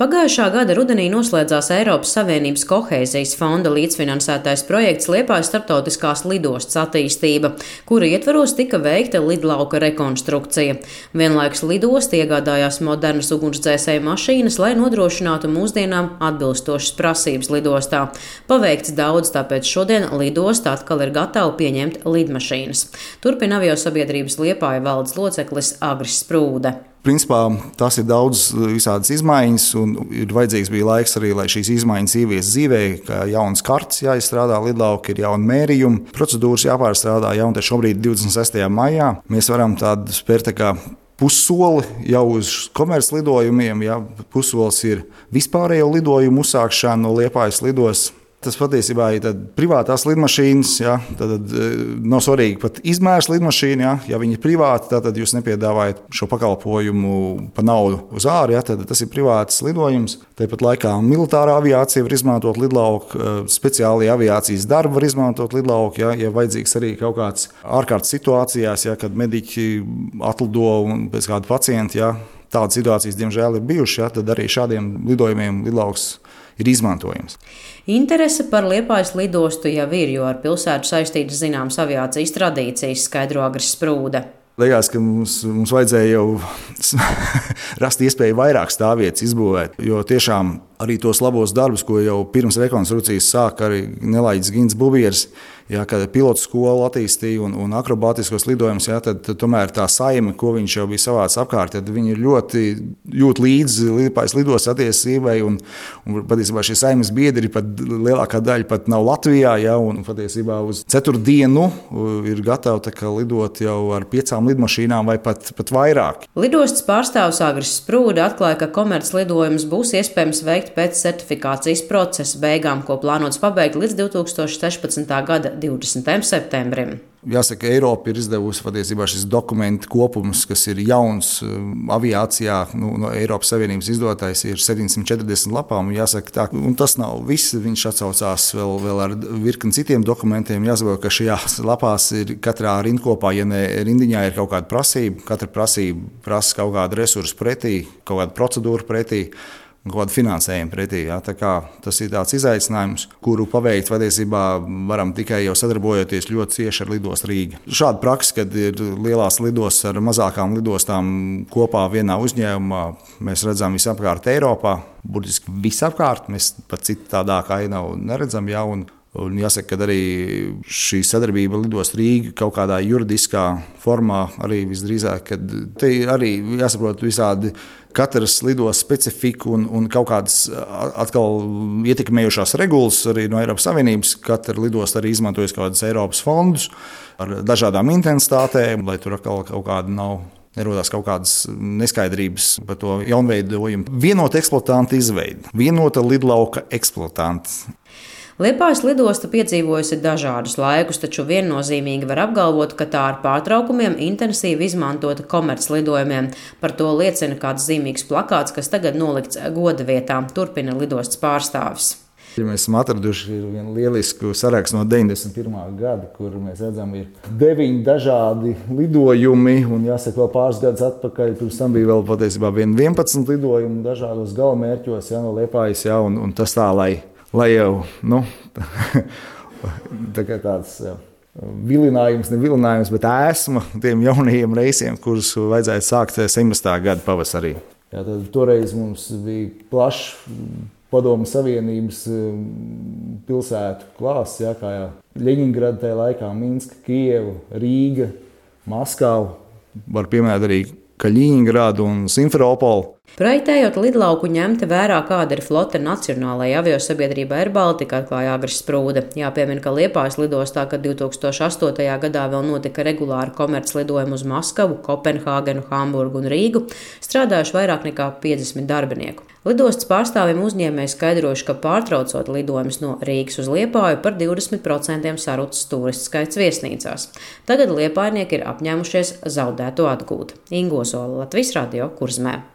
Pagājušā gada rudenī noslēdzās Eiropas Savienības kohēzijas fonda līdzfinansētais projekts Liepājas starptautiskās lidostas attīstība, kura ietvaros tika veikta lidlauka rekonstrukcija. Vienlaikus lidosta iegādājās modernas ugunsdzēsēju mašīnas, lai nodrošinātu mūsdienām atbilstošas prasības lidostā. Paveikts daudz, tāpēc šodien lidosta atkal ir gatava pieņemt lidmašīnas. Turpina aviosabiedrības Liepāja valdes loceklis Agris Sprūde. Principā tas ir daudz visādas izmaiņas, un ir vajadzīgs bija laiks arī, lai šīs izmaiņas ievies dzīvē, kā jauns kartes jāizstrādā lidlauka, ir jauna mērījuma, procedūras jāpārstrādā, un te šobrīd 26. maijā mēs varam tādu spērt pussoli jau uz komerclidojumiem, pussolis ir vispārējo lidojumu uzsākšana no Liepājas lidostas. Tas patiesībā ir privātās lidmašīnas, tad nav svarīgi pat izmērs lidmašīna, ja viņi ir privāti, tad jūs nepiedāvājat šo pakalpojumu pa naudu uz āru, tad tas ir privāts lidojums. Tāpat laikā militārā aviācija var izmantot lidlauku, speciāli aviācijas darbi var izmantot lidlauku, ja vajadzīgs arī kaut kāds ārkārtas situācijās, kad mediķi atlido un pēc kāda pacienta, tādas situācijas, diemžēl, ir bijušas, tad arī šādiem lidojumiem lidlauks ir izmantojams. Interese par Liepājas lidostu jau ir, jo ar pilsētu saistītas zināmas aviācijas tradīcijas, skaidro Agris Sprūde. Liekas, ka mums vajadzēja jau rast iespēju vairāk stāvvietas izbūvēt, jo tiešām arī tos labos darbus, ko jau pirms rekonstrukcijas sāka arī Nelaiģis Gins Bubieris, kad pilotu skolu attīstīja un akrobātiskos lidojumus, tad tomēr tā saime, ko viņš jau bija savāds apkārt, tad viņi ļoti jūt līdzi Liepājas lidostas attīstībai, un patiesībā šie saimes biedri pat lielākā daļa pat nav Latvijā, un patiesībā uz ceturtdienu ir gatavi lidot jau ar 5 lidmašīnām vai pat vairāk. Lidostas pārstāvis Agris Sprūde atklāja, ka komerclidojumus būs iespējams veikt pēc certifikācijas procesa beigām, ko plānots pabeigt līdz 2016. gada 20. septembrim. Jāsaka, Eiropa ir izdevusi patiesībā šis dokumentu kopums, kas ir jauns aviācijā, no Eiropas Savienības izdotais, ir 740 lapām. Jāsaka, tā, un tas nav viss, viņš atsaucās vēl ar virkni citiem dokumentiem. Jāsaprot, ka šajās lapās ir katrā rindkopā, ja ne rindiņā ir kaut kāda prasība, katra prasība prasa kaut kādu resursu pretī, kaut kādu procedūru pretī, un kaut kādu finansējumu pretī. Tā kā tas ir tāds izaicinājums, kuru paveikt patiesībā varam tikai jau sadarbojoties ļoti cieši ar lidostu Rīga. Šāda praksa, kad ir lielās lidostas ar mazākām lidostām kopā vienā uzņēmumā, mēs redzam visapkārt Eiropā, burtiski visapkārt, mēs pat citu tādāku ainavu neredzam, un jāsaka, ka arī šī sadarbība lidostu Rīga kaut kādā juridiskā formā arī visdrīzāk, kad te arī jāsaprot visādi katras lidostas specifiku un kaut kādas atkal ietekmējušās regulas arī no Eiropas Savienības. Katra lidosta arī izmantojas kaut kādus Eiropas fondus ar dažādām intensitātēm, lai tur atkal kaut kāda nerodās kaut kādas neskaidrības par to jaunveidojumu. Vienota eksploatanta izveide, vienota lidlauka eksploatants. Liepājas lidosta piedzīvojusi dažādus laikus, taču viennozīmīgi var apgalvot, ka tā ar pārtraukumiem intensīvi izmantota komerclidojumiem. Par to liecina kāds zīmīgs plakāts, kas tagad nolikts goda vietā, turpina lidostas pārstāvis. Mēs esam atraduši vienu lielisku sarakstu no 91. gada, kur mēs redzam, ir 9 dažādi lidojumi, un jāsaka, vēl pāris gadus atpakaļ, pirms tam bija vēl patiesībā 11 lidojumi dažādos galamērķos, no Liepājas, un tas tā, lai jau, tāds vilinājums, ne vilinājums, bet ēsma tiem jaunajiem reisiem, kurus vajadzētu sākt 17. gada pavasarī. Tad toreiz mums bija plašs Padomu Savienības pilsētu klāsts, kā Ļeņingrada tajā laikā, Minska, Kieva, Rīga, Maskava, var pieminēt arī Kaļiņingradu un Simferopolu. Projektējot lidlauku ņemta vērā, kāda ir flote nacionālajai aviosabiedrībai Air Baltica, atklāja Agris Sprūde. Jāpiemina, ka Liepājas lidostā, kad 2008. gadā vēl notika regulāri komerclidojumi uz Maskavu, Kopenhāgenu, Hamburgu un Rīgu, strādājuši vairāk nekā 50 darbinieku. Lidostas pārstāvjiem uzņēmēji skaidrojuši, ka pārtraucot lidojumus no Rīgas uz Liepāju par 20% sarucis turistu skaits viesnīcās. Tagad liepājnieki ir apņēmušies zaudēto atgūt. Ingo Zola, Latvijas Radio, Kurzmē.